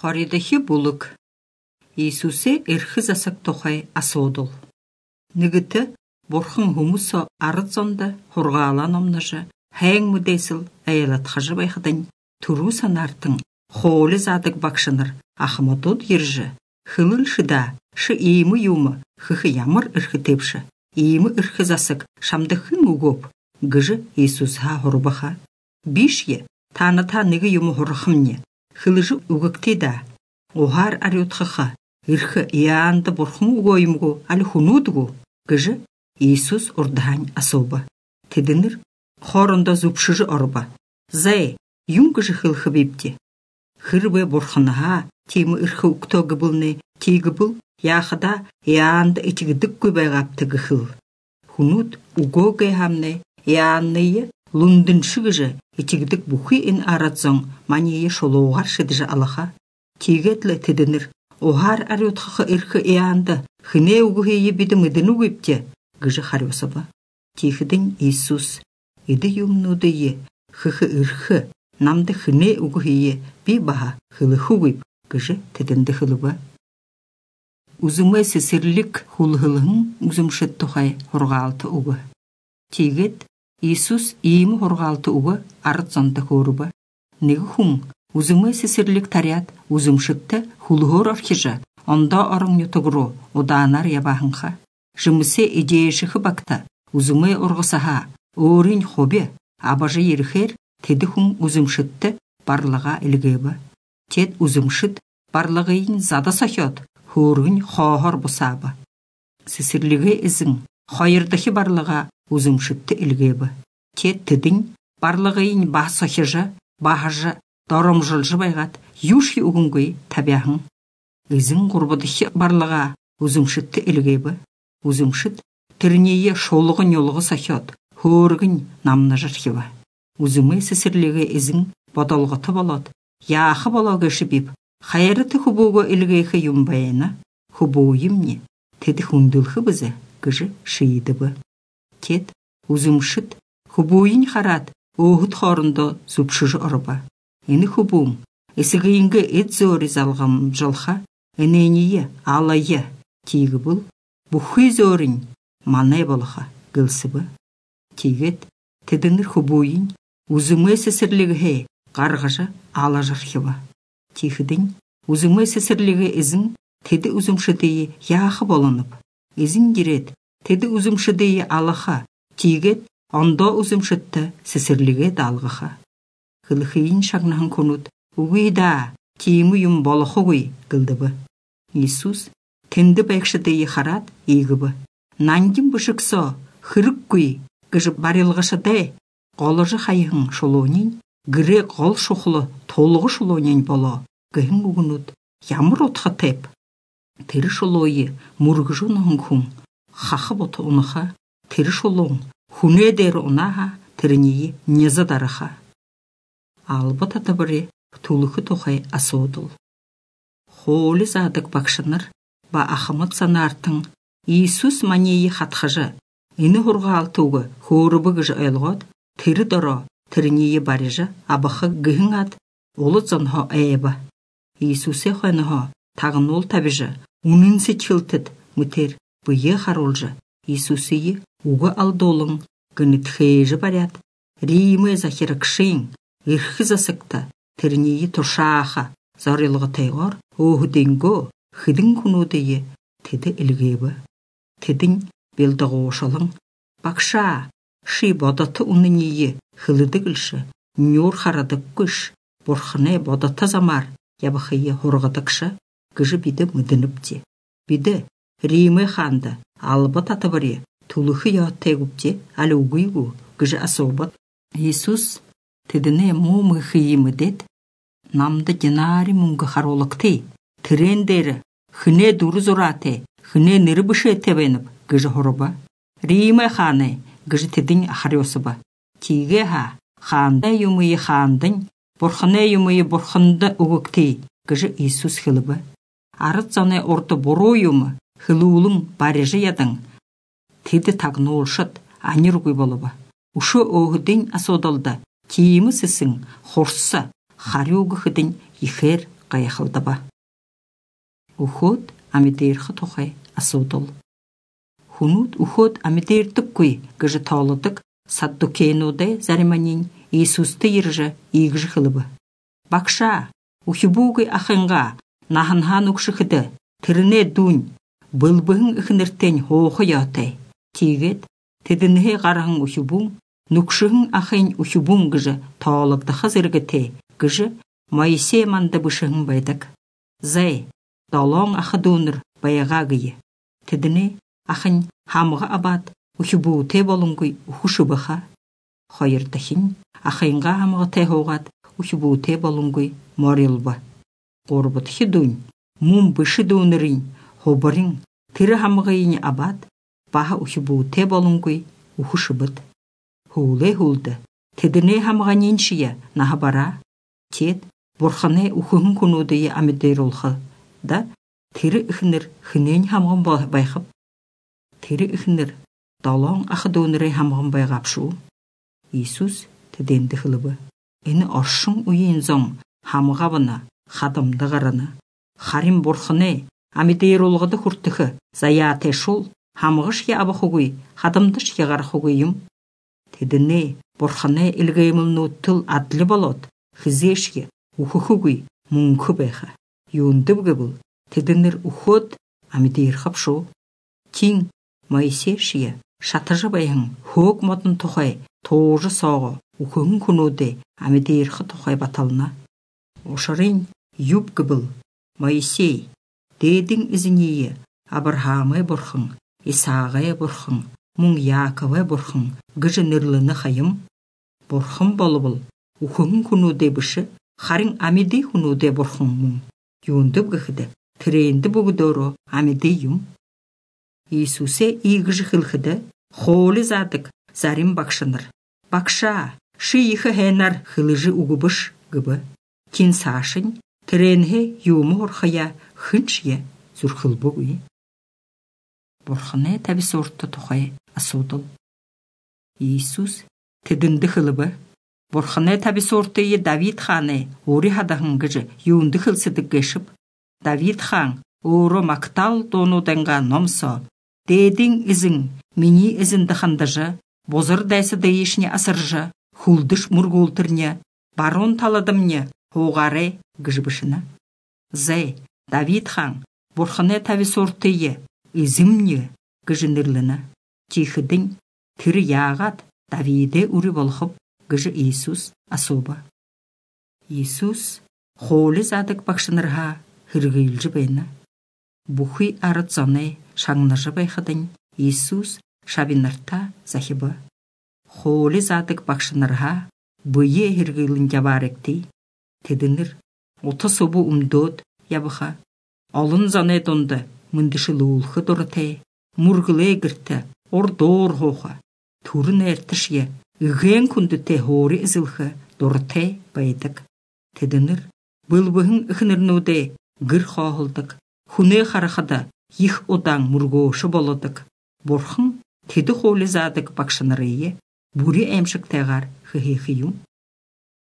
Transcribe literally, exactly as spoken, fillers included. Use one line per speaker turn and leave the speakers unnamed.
Хоридахи булык. Иисусе эрхи засак тохай асоодол. Нигіті борхын хумусо арыцонда хургаалан омнажы, хайң мүдейсіл айалатхажы байхадан туру санартың хоолы задык бакшыныр ахмадод ержі. Хылыл шыда, шы иімі юмы, хыхы ямыр ырхы тепші. Иімі ырхы засык шамдықын угоп, гыжы Иисусха хурбаха. Бишye, таныта ныгы юмы хурхымне. Хылыжы угыктеда. Огар арютхыха. Ирхы иянды борхын угойымгу, алі хунудгу. Гыжы Иисус урдахань асоба. Тедінір хорында зупшыжы орба. Зай, юм гыжы хылхы бепте. Хырбы борхынаха, темі ирхы уктогы бұлны, тегі бұл, яхыда иянды этігідік көбайғапты гыхыл. Хунуд угогай хамны, иянныйы лундыншы гыжы, этігідік бұхи ин арадзон, манейы шолуғар шыдыжы алаха. Тегетлі тедінір, оғар арютхықы ирхы иянды, хыне угухейі биді мүдіні өпте, гыжы харюсаба. Тихідін Иисус, иді юмнудыйы, хыхы ирхы, намды хыне угухейі би баха хылыхы өп, гыжы тедінді хылыба. Узымы сесірлік хулхылығын узымшыт тухай хорғалты уғы. Тегет Иисус иімі хорғалты уғы арыцонды хорыба. Негі хуң, узымы сесірлік тарят узымшытты хулхор орхижа, онда орың нютығыру оданар ябахынға. Жымысе идеешіхі бакта, узымы орғысаха, орын хобе, абажы ерхер, теді хуң узымшытты барлыға ілгебі. Тед узымшыт барлығыйын зада сахет, хөргін хоғыр бұсабы. Сесірлігі ізің, қойырдықы барлыға узымшытты ілгебі. Тед тідін барлығыйын бас сахежі, бағажы, дорым жылжы байғат, юши угунгой табяхын. Ізің құрбыдықы барлыға узымшытты ілгебі. Узымшыт тірнейе шолығы нелығы сахет, хөргін намны жырхива. Узымы сесірлігі ізің бодалғыты болот, яқы болаугышы біп, хайырыты хубуғы ілгейхі юмбайына, хубуғы емне, теді хундылхы бізі, гыжы шииді бі. Тед, узымшыт, хубуын харат, оғыт хорында зупшыжы ұрыба. Ені хубуң, есігейінгі эт зөри залғам жылха, енейние, алайы, тегі бұл, бұхы зөрін, манай болыға, гылсы бі. Тегет, тедінір хубуын, узымы сесірлігі хей, қарғыжы ала жархива. Тихідін, узымы сесірлігі ізін, теді узымшыдейі яқы болынып. Ізін керет, теді узымшыдейі алыға, тегет, онда узымшытты сесірлігі далғыға. Қылықейін шағнағын конут, уғида, тейімі юм болықы ғой, гылдыбы. Иисус, тенді бәкшідейі харат, егібі. Нандим бұшықсо, хырық көй, гыжы барылғышыдай, қолыжы қайығын шолуынен, гіре қол шоқылы толығы шолуынен боло, гыхын ұғынут, ямыр отқа теп. Тері шолуы мұрғыжы ұнығын күн, қақы боты ұныға, тері шолуын, хүне дәрі ұнаға, тірінеyi незі дарыға. Албы татабыры тулықы тоқай асуыдыл. Холі задық бақшыныр, ба ақымыт санартың, Иисус манейі қатқыжы, іні ғұрға алтуғы хорыбы ғыжы өлғат, тері дұры, тірінеyi барыжы, абықы гыхын ат, олы зонға әйбі. Иисусе қойныға, тағын ол табыжы, унынсы чылтыд, мүтер, бұйы қарулжы. Иисусеyi уғы алдолың, гыны тхейжі барят, реймі захиры кшиң, ирхі засықта, тірінеyi тұршаға, зарылғы тайғар, оғы денго, хыдың күнудейі, теді ілгебі. Тедін белдіғі ошалың, бақша, ши бодаты унынейі, хылыдығылшы, нюр харадық күш, борхыне бодаты замар, ябықайы хорғадықшы, гыжы биді мүдініпте. Биді, реймі ханды, албы татыбыры, тулықы яаттай күпте, әлі уғыйгу, гыжы асобат. Иисус, тедіне мұмы хыйымы дед, намды динари мұңғы харолықты, тірендері, хыне дұры зұраты, хыне ныры бұшы етебеніп, гыжы хорыба. Реймі ханы, гыжы тедін ахарёсыба. Тиге ха, ханды юмыйы хандың, борхыны юмыйы борхынды ұғықты, гыжы Иисус хылыбы. Арыт заны орды бору юмы, хылуылың барежі ядың. Теді тағны олшыт, аныр ұғый болыба. Ушы оғыдың асодалды, тиімі сісің, хорсы, хари ұғықыдың ехер гаяхылдыба. Уход амидерхы тухай асудыл. Хунут уход амидердіккуй гыжы таулыдык саддукейнуде зариманин Иисусты иржы игжы хылыбы. Бакша, ухибугы ахынға нахынхан укшыхыды, тіріне дунь, былбығын үхінірттен хоғы ятай. Тегет, тедінге қарағын ухибун, нукшыгын ахын ухибун гыжы таулыгды хазыргы те, гыжы Моисей манды бышығын байдык. Зай, далон ахы доныр баяға гыйы. Тедіне ахын хамға абад ухибу те болунгуй ухушыбыха. Хайырдахин ахынға хамға те хоғат ухибу те болунгуй морилба. Горбыт хидунь, мум бышы донырын, хобырын, тірі хамғайын абад, баха ухибу те болунгуй ухушыбыт. Хуле хулды, тедіне хамғанен шия наға бара, тед борханы ухығын күнудыйы амидер олғы, да тірі үхінір хінен хамғын байқып, тірі үхінір далон ақы доныры хамғын байғапшу. Иисус теденді хылыбы, әні оршын үйен зоң хамғабына, хадымды ғараны, харим борханы амидер олғыды хүртіхі заяте шул, хамғышке абы хугуй, хадымдышке ғар хугуйым. Тедіне борханы илгеймілну тыл адлы болот, хызешке ухухугуй мунку байха. Юндыбғы бұл, тедінір уход амидер хапшу. Тин Моисей шия шатыжы байхын хуг модын тухай тоғжы соғы ухығын күнуде амидерхы тухай баталына. Ошарын юбгі бұл, Моисей, дейдің ізінейі Абырхамы бұрхын, Исағай бұрхын, мұң Яковы бұрхын, гыжы níрліні хайым. Бұрхын болы бұл, ухығын күнуде бұшы, харин амиди күнуде бұрхын мұң. Юндып гыхыды, тірейінді бұғыдору амиди юм. Иисусе игжы хылхыды, холы задык зарим бакшыныр. Бакша, шы ихы хэнар хылыжы угубыш гыбы. Кин сашын, тіренге юмы орхая хыншye зүрхыл бұғый. Борхыны тәбі сорты тұхай асудыл. Иисус тедінді хылыбы. Борхыны тәбі сортыйы Давид ханы ори хадағын гыжы юнды хылсыдық гешіп. Давид хан оры мактал донуденға номсо. Дейдің ізің, мені ізінді хандыжы, бозыр дәсі дэйішне асыржы, хулдыш мұргултырне, барон таладымне, хоғары гыжбышына. Зай, Давид хан, борхыны тәбі сортыйы, ізімне гыжынырлыны. Тихыдың, тірі яғат Давиде үрі болхып, гыжы Иисус асуба. Иисус холы задык бақшынырға хыргыйлжы бәйні. Бұхи арыдзаны шаңныржы байхыдың Иисус шабинырта захибы. Холы задык бақшынырға бұйе хыргыйлын ябаректі. Тедінір, оты собу умдод ябыха. Алын заны донды мындышы лулхы дұрытай. Мұргылы гірті, ордор хоха. Турын әртішye, үген күнді те хори ізілхы дұрытай байдық. Тедінір, бұлбығын үхінірнуде гір қағылдық. Хуне қарақыда их одан мұргошы болыдық. Борхын теді холы задық бақшынырые, бұри әмшік тәғар хы-хы-хы юм.